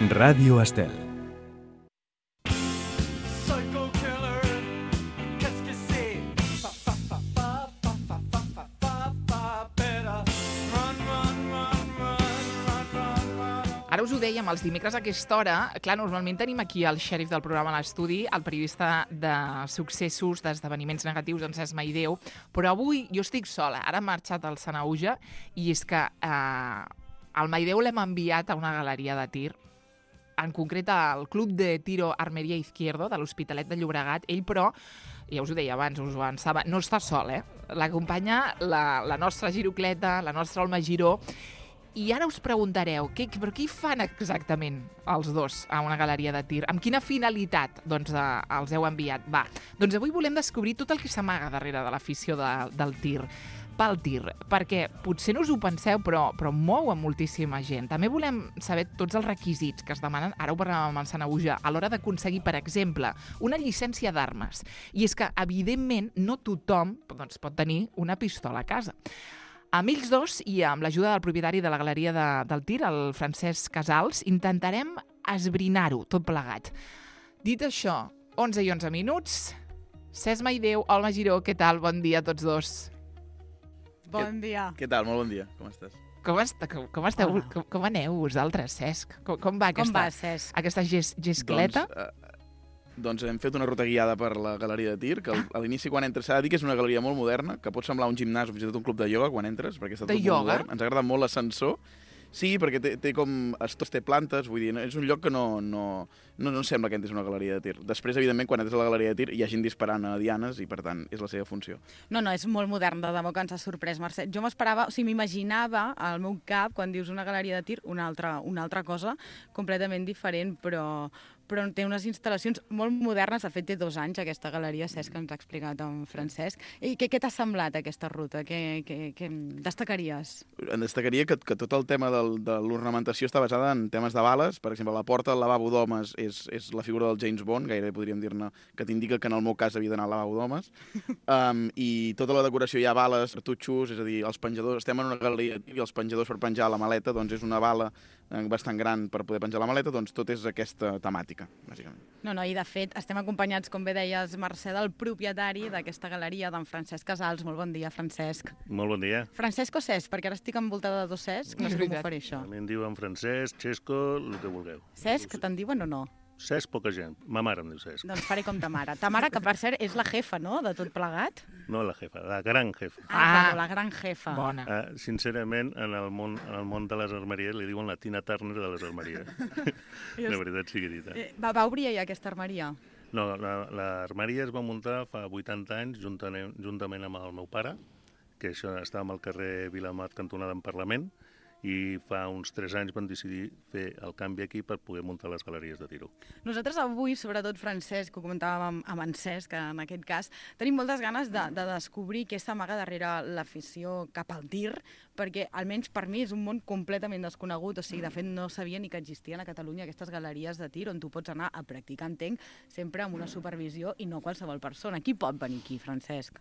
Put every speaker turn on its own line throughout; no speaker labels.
Radio Estel.
Ara us ho dèiem, els dimecres a aquesta hora, clar, normalment tenim aquí el xèrif del programa a l'estudi, el periodista de successos, d'esdeveniments negatius, en Cesc Maideu, però avui jo estic sola. Ara ha marxat el Sanahuja i és que el Maideu l'hem enviat a una galeria de tir, en concret al Club de Tiro Armeria Izquierdo de l'Hospitalet de Llobregat. Ell, però, ja us ho deia abans, us ho avançava, no està sol, L'acompanya la nostra girocleta, la nostra Alma Giró. I ara us preguntareu, però què hi fan exactament els dos a una galeria de tir? Amb quina finalitat els heu enviat? Va, doncs avui volem descobrir tot el que s'amaga darrere de l'afició del tir, pel tir, perquè potser no us ho penseu, però mou a moltíssima gent. També volem saber tots els requisits que es demanen, ara ho parlàvem amb el Sanahuja, a l'hora d'aconseguir, per exemple, una llicència d'armes. I és que, evidentment, no tothom pot tenir una pistola a casa. Amb ells dos i amb l'ajuda del propietari de la galeria del tir, el Francesc Casals, intentarem esbrinar-ho tot plegat. Dit això, 11 i 11 minuts, Cesc Maideu, Alma Giró, què tal? Bon dia a tots dos.
Bon dia.
Què tal? Molt bon dia. Com estàs?
Com esteu? Com aneu vosaltres, Cesc? Com va aquesta gescleta?
Doncs hem fet una ruta guiada per la galeria de tir, que a l'inici quan entres s'ha de dir que és una galeria molt moderna, que pot semblar un gimnàs o fins i tot un club de ioga quan entres, perquè està tot molt modern. Ens agrada molt l'ascensor. Sí, perquè té com... Tot té plantes, vull dir, és un lloc que no sembla que entres una galeria de tir. Després, evidentment, quan entres a la galeria de tir hi ha gent disparant a dianes i, per tant, és la seva funció.
No, és molt modern, de debò que ens ha sorprès, Mercè. Jo m'esperava, m'imaginava al meu cap, quan dius una galeria de tir, una altra cosa completament diferent, però té unes instal·lacions molt modernes. De fet, té 2 anys aquesta galeria, Cesc, que ens ha explicat en Francesc. I què t'ha semblat aquesta ruta? Què destacaries?
En destacaria que tot el tema de l'ornamentació està basada en temes de bales. Per exemple, la porta del lavabo d'homes és la figura del James Bond, gairebé podríem dir-ne, que t'indica que en el meu cas havia d'anar al lavabo d'homes. I tota la decoració hi ha bales, cartutxos, és a dir, els penjadors... Estem en una galeria i els penjadors per penjar la maleta doncs és una bala bastant gran per poder penjar la maleta, doncs tot és aquesta temàtica, bàsicament.
I de fet estem acompanyats, com bé deies, Mercè, del propietari d'aquesta galeria, d'en Francesc Casals. Molt bon dia, Francesc.
Molt bon dia.
Francesc o Cesc? Perquè ara estic envoltada de 2 Cesc, no sé com ho faré això.
A mi em diuen Francesc, Xesco, el que vulgueu.
Cesc, te'n diuen o no?
Cesc, poca gent. Ma mare em diu Cesc.
Doncs faré com ta mare. Ta mare, que per cert és la jefa, no?, de tot plegat?
No la jefa, la gran jefa.
La gran jefa.
Bona.
Sincerament, en el món de les armeries li diuen la Tina Turner de les armeries. La veritat sigui dita.
Va obrir ja aquesta armeria?
No, l'armeria es va muntar fa 80 anys juntament amb el meu pare, que això estàvem al carrer Vilamat, cantonada en Parlament, i fa uns 3 anys vam decidir fer el canvi aquí per poder muntar les galeries de tiro.
Nosaltres avui, sobretot Francesc, que ho comentàvem amb en Cesc, en aquest cas, tenim moltes ganes de descobrir què s'amaga darrere l'afició cap al tir, perquè almenys per mi és un món completament desconegut, de fet no sabia ni que existien a Catalunya aquestes galeries de tir on tu pots anar a practicar, entenc, sempre amb una supervisió i no qualsevol persona. Qui pot venir aquí, Francesc?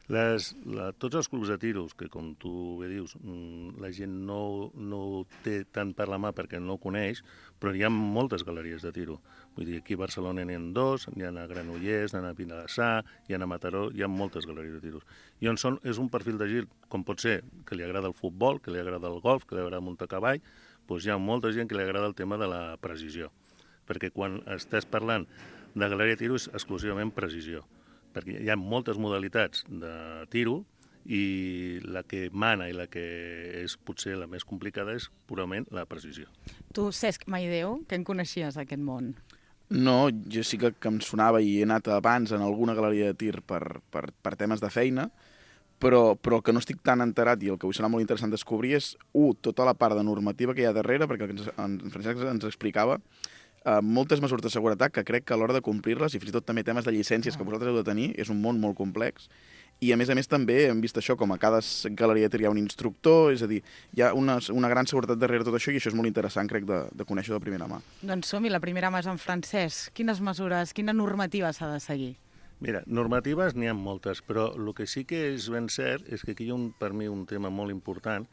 Tots els clubs de tiros, que com tu bé dius, la gent no té tant per la mà perquè no ho coneix, però hi ha moltes galeries de tiro. Vull dir, aquí a Barcelona n'hi ha 2, n'hi ha a Granollers, n'hi ha a Vilassar, hi ha a Mataró, hi ha moltes galeries de tiros. I és un perfil de gent, com pot ser, que li agrada el futbol, que li agrada el golf, que li agrada muntar a cavall, doncs hi ha molta gent que li agrada el tema de la precisió. Perquè quan estàs parlant de galeria de tiro és exclusivament precisió. Perquè hi ha moltes modalitats de tiro i la que mana i la que és potser la més complicada és purament la precisió.
Tu, Cesc Maideu, que en coneixies aquest món?
No, jo sí que em sonava i he anat abans en alguna galeria de tir per temes de feina, però el que no estic tan enterat i el que avui serà molt interessant descobrir és, tota la part de normativa que hi ha darrere, perquè en Francesc ens explicava, moltes mesures de seguretat que crec que a l'hora de complir-les, i fins i tot també temes de llicències que vosaltres heu de tenir, és un món molt complex. I a més també hem vist això, com a cada galeria hi ha un instructor, és a dir, hi ha una gran seguretat darrere tot això i això és molt interessant, crec, de conèixer de primera mà.
Doncs som-hi, la primera mà és en Francesc. Quines mesures, quina normativa s'ha de seguir?
Mira, normatives n'hi ha moltes, però el que sí que és ben cert és que aquí hi ha per mi un tema molt important.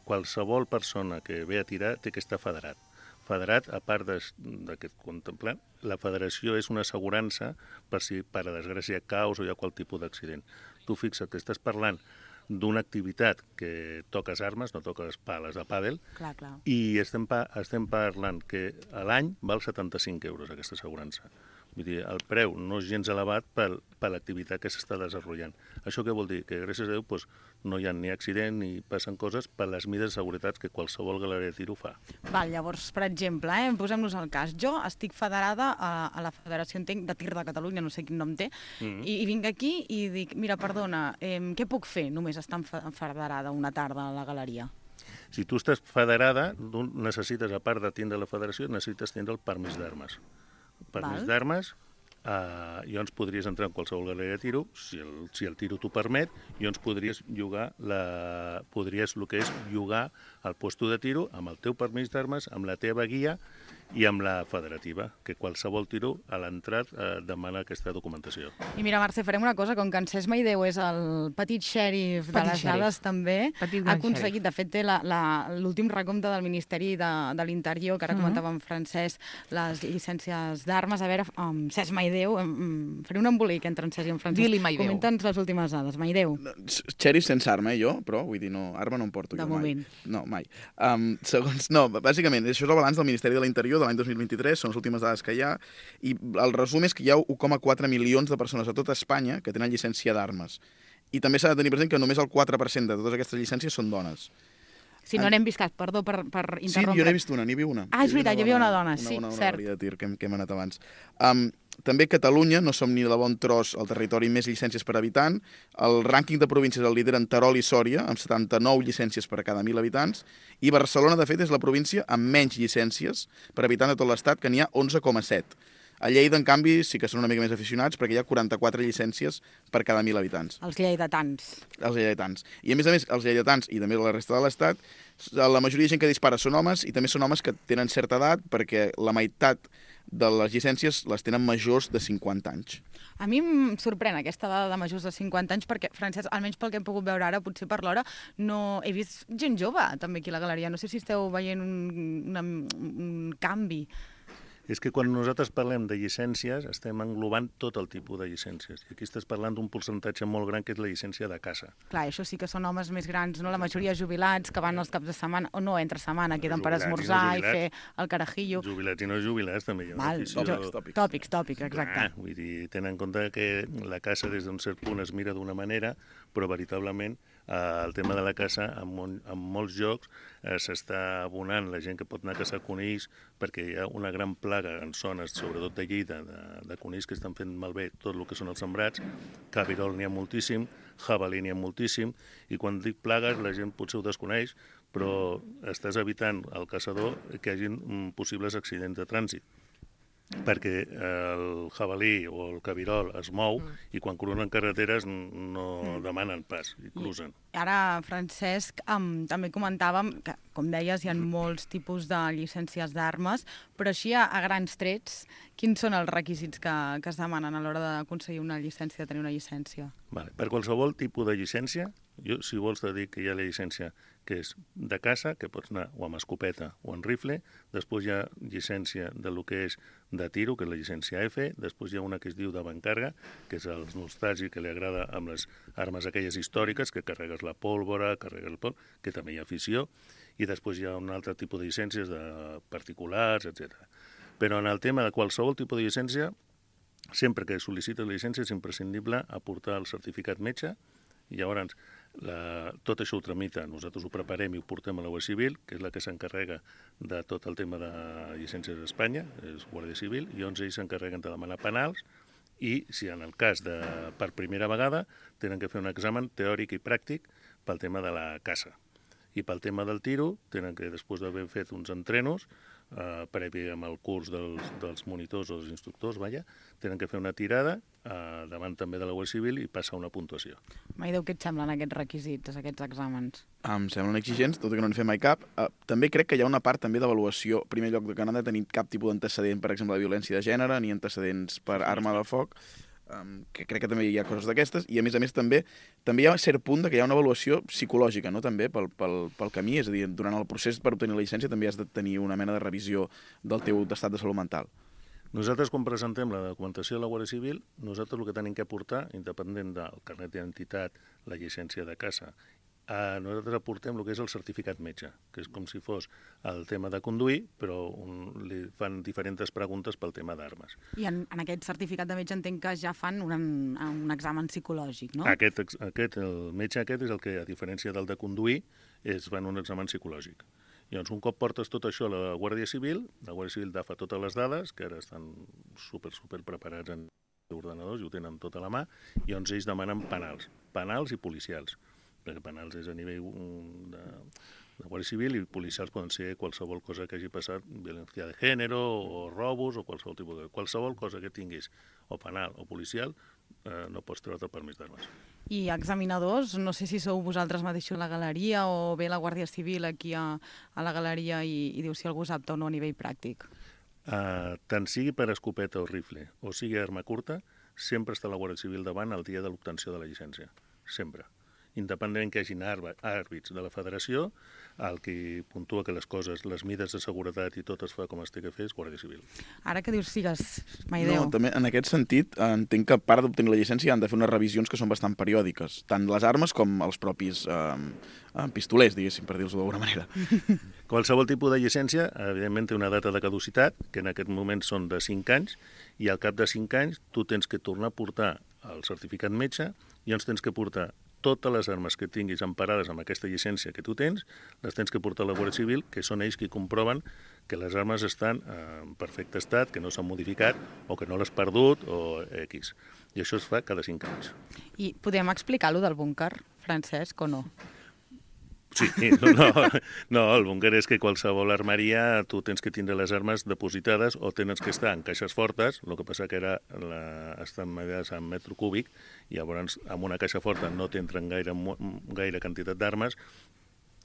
Qualsevol persona que ve a tirar té que estar federat. federat, a part d'aquest contemplant, la federació és una assegurança per si, per a desgràcia, caus o hi ha qual tipus d'accident. Tu fixa't que estàs parlant d'una activitat que toques armes, no toques pales de pàdel,
Clar.
i estem parlant que a l'any val 75 euros aquesta assegurança. Vull dir, el preu no és gens elevat per l'activitat que s'està desenvolupant. Això què vol dir? Que gràcies a Déu no hi ha ni accident ni passen coses per les mides de seguretat que qualsevol galeria de tiro fa.
Val, llavors, per exemple, posem-nos al cas. Jo estic federada a la Federació, entenc, de Tir de Catalunya, no sé quin nom té, i vinc aquí i dic, mira, perdona, què puc fer només estant federada una tarda a la galeria?
Si tu estàs federada, necessites, a part de tindre la federació, necessites tindre el permís d'armes. Permís d'armes, llavors podries entrar en qualsevol galeria de tiro, si el tiro t'ho permet, llavors podries llogar el puesto de tiro amb el teu permís d'armes, amb la teva guia i amb la federativa, que qualsevol tiro a l'entrat demana aquesta documentació.
I mira, Mercè, farem una cosa, com que en Cesc Maideu és el petit xèrif de les dades també, ha aconseguit, de fet té l'últim recompte del Ministeri de l'Interior, que ara comentava en Francesc, les llicències d'armes. A veure, Cesc Maideu, faré un embolic entre en Cesc i en Francesc.
Dili Maideu.
Comenta'ns les últimes dades. Maideu.
Xèrif sense arma, jo, però, vull dir, no, arma no em porto
de
jo
moment.
Mai. No, mai. Bàsicament, això és el balanç del Ministeri de l'Interior de l'any 2023, són les últimes dades que hi ha, i el resum és que hi ha 1,4 milions de persones a tota Espanya que tenen llicència d'armes. I també s'ha de tenir present que només el 4% de totes aquestes llicències són dones.
Si no n'hem vist cap, perdó per interrompre.
Sí, jo n'he vist una, n'hi havia una.
Ah, és veritat, hi havia una dona, sí, cert.
Una de tir que hem anat abans. També Catalunya, no som ni de bon tros el territori amb més llicències per habitant. El rànquing de províncies el lideren Terol i Sòria, amb 79 llicències per a cada 1.000 habitants, i Barcelona, de fet, és la província amb menys llicències per habitant de tot l'Estat, que n'hi ha 11,7. A Lleida, en canvi, sí que són una mica més aficionats, perquè hi ha 44 llicències per cada 1.000 habitants.
Els lleidatans.
Els lleidatans. I, a més, els lleidatans i també la resta de l'Estat, la majoria de gent que dispara són homes, i també són homes que tenen certa edat, perquè la meitat de les llicències les tenen majors de 50 anys.
A mi em sorprèn aquesta dada de majors de 50 anys perquè, Francesc, almenys pel que hem pogut veure ara, potser per l'hora, no he vist gent jove també aquí a la galeria. No sé si esteu veient un canvi.
És que quan nosaltres parlem de llicències estem englobant tot el tipus de llicències. I aquí estàs parlant d'un percentatge molt gran que és la llicència de caça.
Clar, això sí que són homes més grans, no? La majoria jubilats que van els caps de setmana, o no, entre setmana, queden per esmorzar i fer el carajillo.
Jubilats i no jubilats també hi ha una afició.
Tòpics, exacte.
Vull dir, tenen en compte que la caça des d'un cert punt es mira d'una manera, però veritablement el tema de la caça en molts llocs s'està abonant la gent que pot anar a caçar conills perquè hi ha una gran plaga en zones, sobretot de Lleida, de conills que estan fent malbé tot el que són els sembrats. Cabirol n'hi ha moltíssim, jabalí n'hi ha moltíssim, i quan dic plagues la gent potser ho desconeix, però estàs evitant al caçador que hi hagi possibles accidents de trànsit, perquè el jabalí o el cabirol es mou i quan cruzen carreteres no demanen pas i cruzen.
Ara, Francesc, també comentàvem que, com deies, hi ha molts tipus de llicències d'armes, però així a grans trets, quins són els requisits que es demanen a l'hora d'aconseguir una llicència, de tenir una llicència?
Vale. Per qualsevol tipus de llicència, jo, si vols te dic que hi ha la llicència que és de caça, que pots anar o amb escopeta o amb rifle, després hi ha llicència de lo que és de tiro, que és la llicència F, després hi ha una que es diu d'avantcarga, que és els nostàlgics, que li agrada amb les armes aquelles històriques, que carregues la pólvora, carregues el pol, que també hi ha afició, i després hi ha un altre tipus de llicències de particulars, etc. Però en el tema de qualsevol tipus de llicència, sempre que sol·licites la llicència és imprescindible aportar el certificat metge, i llavors tot això ho tramita, nosaltres ho preparem i ho portem a la Guàrdia Civil, que és la que s'encarrega de tot el tema de llicències d'Espanya, és Guàrdia Civil, i llavors ells s'encarreguen de demanar penals, i si en el cas de per primera vegada tenen que fer un examen teòric i pràctic pel tema de la caça. I pel tema del tiro, tenen que, després d'haver fet uns entrenos, previ amb el curs dels monitors o dels instructors, tenen que fer una tirada davant també de la Guàrdia Civil i passar una puntuació.
Maideu, què et semblen aquests requisits, aquests exàmens?
Em semblen exigents, tot i que no n'he fet mai cap. També crec que hi ha una part també d'avaluació. En primer lloc, que no han de tenir cap tipus d'antecedent, per exemple, de violència de gènere, ni antecedents per arma de foc. que crec que també hi ha coses d'aquestes, i a més també hi ha un cert punt que hi ha una avaluació psicològica, no?, també pel camí, és a dir, durant el procés per obtenir la llicència també has de tenir una mena de revisió del teu estat de salut mental.
Nosaltres, quan presentem la documentació de la Guàrdia Civil, nosaltres el que tenim que aportar, independent del carnet d'identitat, la llicència de casa, nosaltres aportem el que és el certificat metge, que és com si fos el tema de conduir, però li fan diferents preguntes pel tema d'armes.
I en aquest certificat de metge entenc que ja fan un examen psicològic, no?
El metge aquest és el que, a diferència del de conduir, es fan un examen psicològic. Llavors, un cop portes tot això a la Guàrdia Civil agafa totes les dades, que ara estan super preparats en ordenadors i ho tenen tot a la mà, i llavors ells demanen penals i policials, perquè penals és a nivell de Guàrdia Civil i policials poden ser qualsevol cosa que hagi passat, violència de gènere o robos o qualsevol tipus de... Qualsevol cosa que tinguis, o penal o policial, no pots treure't el permís d'armes.
I examinadors, no sé si sou vosaltres mateixos a la galeria o ve la Guàrdia Civil aquí a la galeria i diu si algú és apte o no a nivell pràctic.
Tant sigui per escopeta o rifle o sigui arma curta, sempre està la Guàrdia Civil davant el dia de l'obtenció de la llicència. Sempre. Independentment que hi hagin àrbits de la federació, el que puntua que les coses, les mides de seguretat i tot es fa com es té que fer és Guàrdia Civil.
Ara que dius sigues, Maideu.
No, també en aquest sentit entenc que a part d'obtenir la llicència han de fer unes revisions que són bastant periòdiques, tant les armes com els propis pistolers, diguéssim, per dir-ho d'alguna manera.
Qualsevol tipus de llicència, evidentment, té una data de caducitat, que en aquest moment són de 5 anys, i al cap de 5 anys tu tens que tornar a portar el certificat metge i ens tens que portar totes les armes que tinguis emparades amb aquesta llicència que tu tens, les tens que portar a la Guàrdia Civil, que són ells qui comproven que les armes estan en perfecte estat, que no s'han modificat o que no l'has perdut o X. I això es fa cada 5 anys.
I podem explicar-lo del búnquer, Francesc, o no?
Sí, no, el búnquer és que qualsevol armeria tu tens que tindre les armes depositades o tens que estar en caixes fortes, el que passa que estan mediades en metro cúbic i llavors amb una caixa forta no t'entren gaire quantitat d'armes.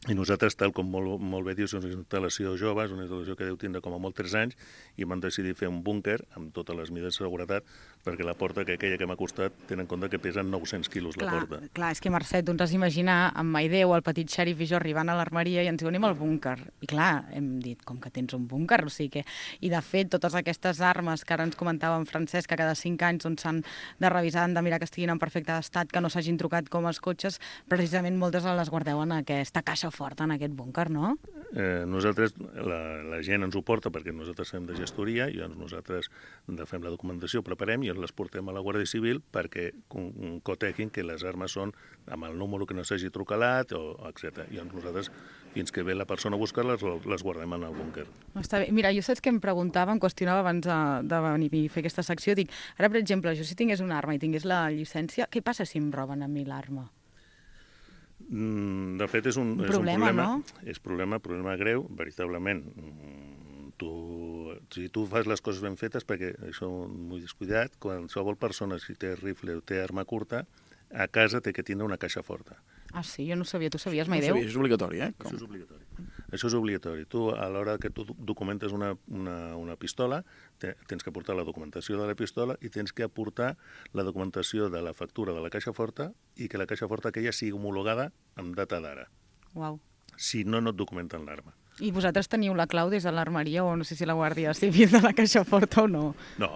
I nosaltres, tal com molt bé dius, és una instal·lació jove, és una instal·lació que deu tindre com a molt 3 anys, i vam decidir fer un búnquer amb totes les mides de seguretat, perquè la porta, que aquella que m'ha costat, tenen en compte que pesen 900 quilos la porta.
Clar, és que Mercè, tu ens has d'imaginar amb Maideu, el petit xèrif i jo arribant a l'armeria i ens diuen anem al búnquer. I clar, hem dit, com que tens un búnquer? O sigui que... I de fet, totes aquestes armes que ara ens comentava en Francesc, que cada 5 anys s'han de revisar, han de mirar que estiguin en perfecte estat, que no s'hagin trucat com els cotxes, precisament moltes les guardeu en aquesta caixa forta, en aquest búnquer, no?
Nosaltres, la gent ens ho porta perquè nosaltres fem de gestoria i nosaltres fem la documentació, preparem i les portem a la Guàrdia Civil perquè coteguin que les armes són amb el número que no s'hagi trucalat, etc. I nosaltres, fins que ve la persona a buscar-les, les guardem en el búnquer.
Està bé. Mira, jo saps que em preguntava, em qüestionava abans de venir a fer aquesta secció, dic, ara, per exemple, jo si tingués una arma i tingués la llicència, què passa si em roben a mi l'arma?
De fet, és un
problema, no?
És problema greu, veritablement. Si tu fas les coses ben fetes, perquè això m'ho he descuidat, qualsevol persona, si té rifle o té arma curta, a casa té que tindre una caixa forta.
Ah, sí? Jo no sabia. Tu sabies, Maideu?
No sabia, això és obligatori, eh?
Això és obligatori. Això és obligatori. Tu, a l'hora que tu documentes una pistola, tens que aportar la documentació de la pistola i tens que aportar la documentació de la factura de la caixa forta i que la caixa forta aquella sigui homologada amb data d'ara.
Uau.
Si no, no et documenten l'arma.
I vosaltres teniu la clau des de l'armeria o no sé si la Guàrdia Civil de la caixa forta o no?
No,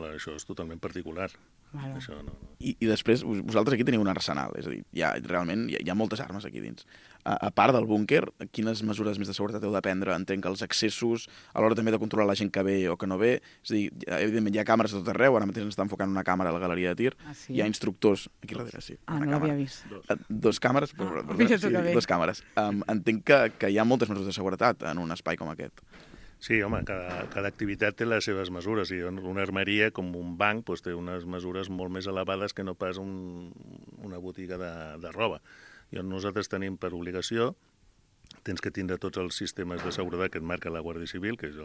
això és totalment particular.
Bueno.
Això no.
I després, vosaltres aquí teniu un arsenal, és a dir, realment hi ha moltes armes aquí dins. A part del búnquer, quines mesures més de seguretat heu de prendre? Entenc que els accessos, a l'hora també de controlar la gent que ve o que no ve, és a dir, evidentment hi ha càmeres a tot arreu, ara mateix ens està enfocant una càmera a la galeria de tir,
sí?
Hi ha instructors, aquí darrere, sí.
No l'havia vist.
2 càmeres,
sí,
2 càmeres. Entenc que hi ha moltes mesures de seguretat en un espai com aquest.
Sí, home, cada activitat té les seves mesures i una armeria, com un banc, té unes mesures molt més elevades que no pas una botiga de roba. I nosaltres tenim per obligació, tens que tindre tots els sistemes de seguretat que et marca la Guàrdia Civil, que és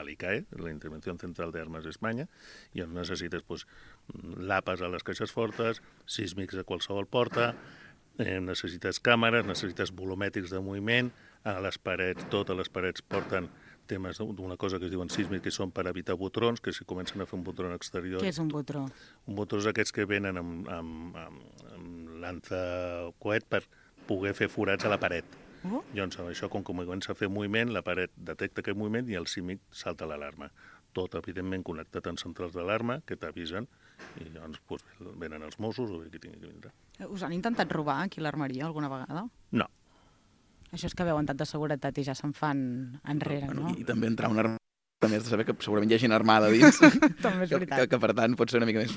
l'ICAE, la Intervenció Central de Armas d'Espanya, i on necessites lapes a les caixes fortes, sísmics a qualsevol porta, necessites càmeres, necessites volumètrics de moviment, a les parets, totes les parets porten temes d'una cosa que es diuen sísmics, que són per evitar botrons, que si comencen a fer un botron exterior...
Què és un botró?
Un botró és aquests que venen amb lança-coet per poder fer forats a la paret. Llavors, això, com que comença a fer moviment, la paret detecta aquest moviment i el sísmic salta l'alarma. Tot, evidentment, connectat amb centrals d'alarma que t'avisen i llavors venen els Mossos o qui tingui que vindre.
Us han intentat robar aquí a l'armeria alguna vegada?
No.
Això és que veuen tanta seguretat i ja se'n fan enrere, no?
I també entrar a una armada també has de saber que segurament hi ha gent armada dins.
També és veritat.
Que per tant pot ser una mica més...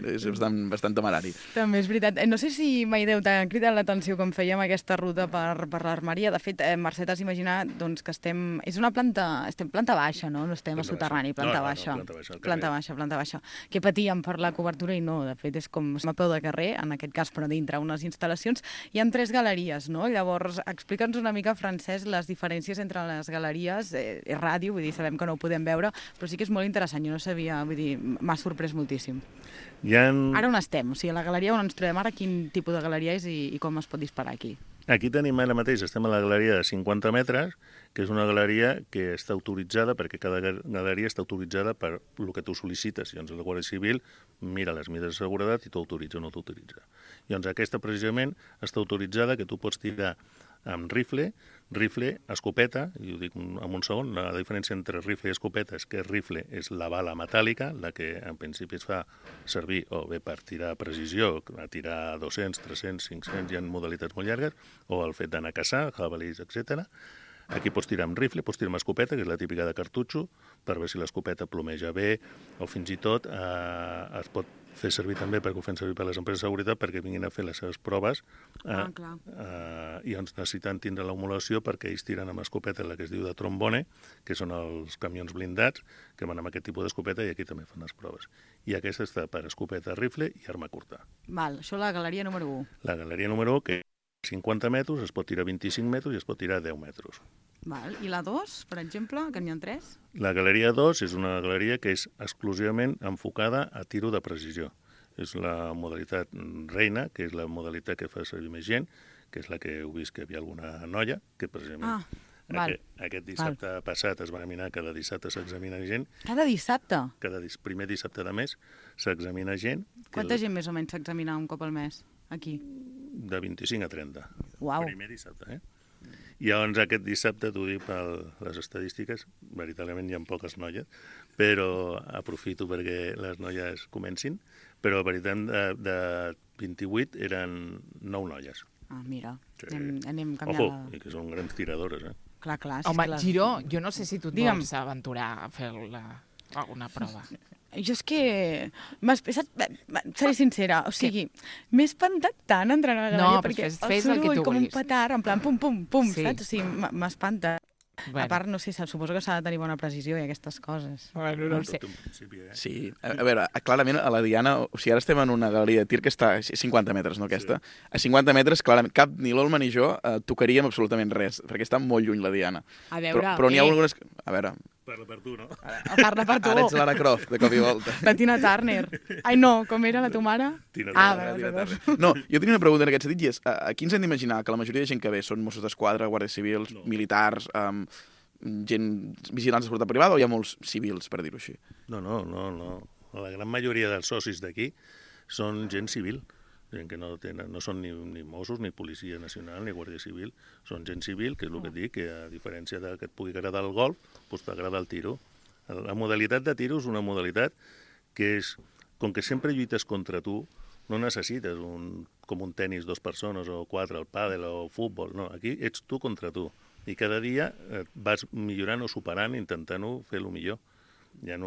és bastant temerari.
També és veritat. No sé si, Maideu, t'ha cridat l'atenció com fèiem aquesta ruta per l'armeria. De fet, Mercè, t'has imaginat doncs, que estem a planta baixa, no? No estem a soterrani, planta baixa. Planta baixa. Que patíem per la cobertura i no, de fet, és com a peu de carrer, en aquest cas, però dintre unes instal·lacions. Hi ha 3 galeries, no? Llavors, explica'ns una mica, Francesc, les diferències entre les galeries. És ràdio, vull dir, sabem que no ho podem veure, però sí que és molt interessant, jo no sabia, vull dir, m'ha sorprès moltíssim. Ara on estem? O sigui, a la galeria on ens trobem ara, quin tipus de galeria és i com es pot disparar aquí?
Aquí tenim ara mateix, estem a la galeria de 50 metres, que és una galeria que està autoritzada, perquè cada galeria està autoritzada per el que tu sol·licites. Llavors, la Guàrdia Civil mira les mides de seguretat i t'autoritza o no t'autoritza. Llavors, aquesta precisament està autoritzada que tu pots tirar amb rifle, escopeta, i ho dic en un segon, la diferència entre rifle i escopeta és que rifle és la bala metàl·lica, la que en principi es fa servir o bé per tirar a precisió, a tirar 200, 300, 500, hi ha modalitats molt llargues, o el fet d'anar a caçar, jabalís, etc. Aquí pots tirar amb rifle, pots tirar amb escopeta, que és la típica de cartutxo, per veure si l'escopeta plomeja bé, o fins i tot es pot fer servir també perquè ho fan servir per les empreses de seguretat perquè vinguin a fer les seves proves i ens necessiten tindre l'homologació perquè ells tiren amb escopeta la que es diu de trombone, que són els camions blindats que van amb aquest tipus d'escopeta i aquí també fan les proves. I aquesta està per escopeta, rifle i arma curta.
Val, això la galeria número 1.
La galeria número 1, que 50 metres, es pot tirar 25 metres i es pot tirar 10 metres.
Val. I la 2, per exemple, que n'hi ha 3?
La galeria 2 és una galeria que és exclusivament enfocada a tiro de precisió. És la modalitat reina, que és la modalitat que fa servir més gent, que és la que heu vist que hi havia alguna noia, que precisament aquest dissabte passat es va examinar, cada dissabte s'examina gent.
Cada dissabte?
Primer dissabte de mes s'examina gent.
Quanta gent més o menys s'examina un cop al mes, aquí?
De 25 a 30.
Uau.
Primer dissabte, I llavors aquest dissabte, t'ho dic per les estadístiques, veritablement hi ha poques noies, però aprofito perquè les noies comencin, però a veritat de 28 eren 9 noies.
Ah, mira,
sí.
anem canviant.
Ojo, i que són grans tiradores,
Clar.
Home, Giró, jo no sé si tu et vols aventurar a fer alguna prova.
Jo és que... seré sincera, o sigui, m'he espantat tant entrant a la galeria perquè el soroll com un petard, en plan pum, saps? O sigui, m'espanta. A part, no sé, suposo que s'ha de tenir bona precisió i aquestes coses.
Bueno, no ho sé.
Sí, a veure, clarament a la Diana, o sigui, ara estem en una galeria de tir que està a 50 metres, no aquesta? Sí. A 50 metres, clarament, cap ni l'Olma ni jo tocaríem absolutament res, perquè està molt lluny la Diana.
A veure...
Però n'hi ha algunes... A veure...
Parla per tu, no?
Parla per tu.
Ara ets Lara Croft, de cop i volta.
La Tina Turner. Ai, no, com era la tu mare?
Tina
Turner. No, jo tenia una pregunta en aquest sentit, i és, aquí ens hem d'imaginar que la majoria de gent que ve són Mossos d'Esquadra, guàrdies civils, militars, gent vigilants de seguretat privada, o hi ha molts civils, per dir-ho així?
No. La gran majoria dels socis d'aquí són gent civil. Gent que no són ni Mossos, ni Policia Nacional, ni Guàrdia Civil. Són gent civil, que és el que et dic, que a diferència que et pugui agradar el golf, doncs t'agrada el tiro. La modalitat de tiro és una modalitat que és, com que sempre lluites contra tu, no necessites com un tennis, 2 persones o 4, el pàdel o el futbol. No, aquí ets tu contra tu. I cada dia vas millorant o superant, intentant-ho fer el millor. Hi ha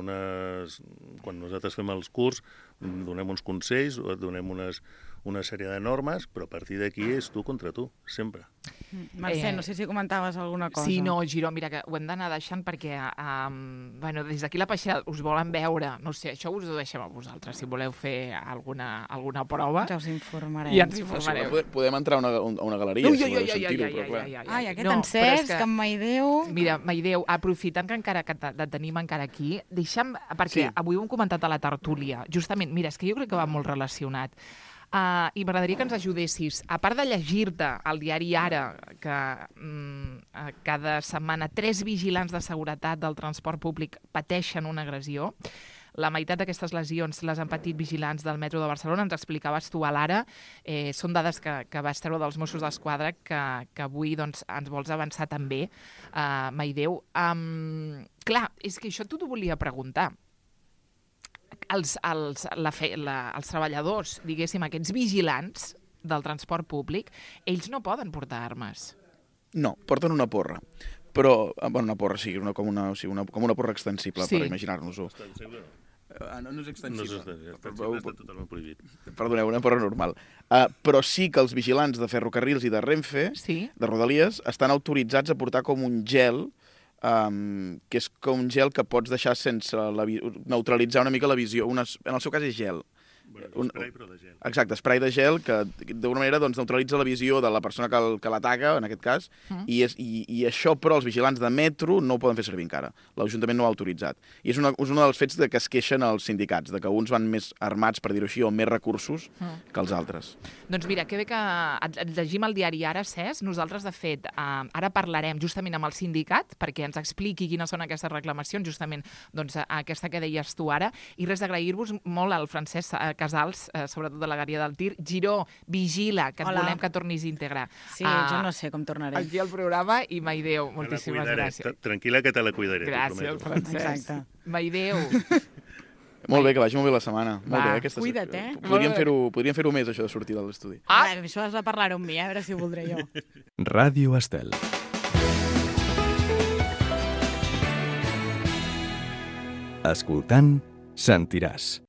quan nosaltres fem els curs, donem uns consells, donem una sèrie de normes, però a partir d'aquí és tu contra tu, sempre.
Mercè, no sé si comentaves alguna cosa.
Sí, no, Giró, mira, que ho hem d'anar deixant perquè des d'aquí la Peixera us volen veure, no sé, això us ho deixem a vosaltres, si voleu fer alguna prova.
Ja us informarem.
Ja ens informareu.
Podem entrar a una galeria, si voleu sentir-ho, però clar.
Ai, aquest encès, que en Maideu...
Mira, Maideu, aprofitant que encara que te tenim encara aquí, deixa'm, perquè avui ho hem comentat a la tertúlia, justament, mira, és que jo crec que va molt relacionat. I m'agradaria que ens ajudessis, a part de llegir-te al diari Ara, que cada setmana 3 vigilants de seguretat del transport públic pateixen una agressió. La meitat d'aquestes lesions les han patit vigilants del metro de Barcelona, ens explicaves tu a l'Ara. Són dades que vas treure dels Mossos d'Esquadra que avui doncs, ens vols avançar també, Maideu. Clar, és que això t'ho volia preguntar. Els treballadors, diguéssim, aquests vigilants del transport públic, ells no poden portar armes.
No, porten una porra. Però, una porra, sí, com una porra extensible, sí. Per imaginar-nos-ho. No és extensible.
Està totalment prohibit.
Perdoneu, una porra normal. Però sí que els vigilants de ferrocarrils i de Renfe, sí, de Rodalies, estan autoritzats a portar com un gel, que és com un gel que pots deixar sense neutralitzar una mica la visió. En el seu cas és gel.
Esprai, però de gel.
Exacte, esprai de gel que d'alguna manera doncs, neutralitza la visió de la persona que l'ataca, en aquest cas, i això però els vigilants de metro no ho poden fer servir encara. L'Ajuntament no ho ha autoritzat. I és un dels fets que es queixen els sindicats, de que uns van més armats, per dir-ho així, o més recursos que els altres.
Doncs mira, que bé que et llegim el diari Ara, Cesc. Nosaltres, de fet, ara parlarem justament amb el sindicat perquè ens expliqui quines són aquestes reclamacions, justament doncs, aquesta que deies tu ara, i res d'agrair-vos molt al Francesc Casals, sobretot de la Gària del Tir. Giró, vigila, que et volem que tornis íntegre.
Sí, jo no sé com tornaré.
Aquí al programa, i Maideu, moltíssimes gràcies.
Tranquil·la que te la cuidaré.
Gràcies, Francesc. Maideu.
Molt bé, que vagi molt bé la setmana. Molt bé,
cuida't,
Podríem fer-ho més, això de sortir de l'estudi.
Això has de parlar-ho amb mi, a veure si ho voldré jo.
Ràdio Estel. Escoltant, sentiràs.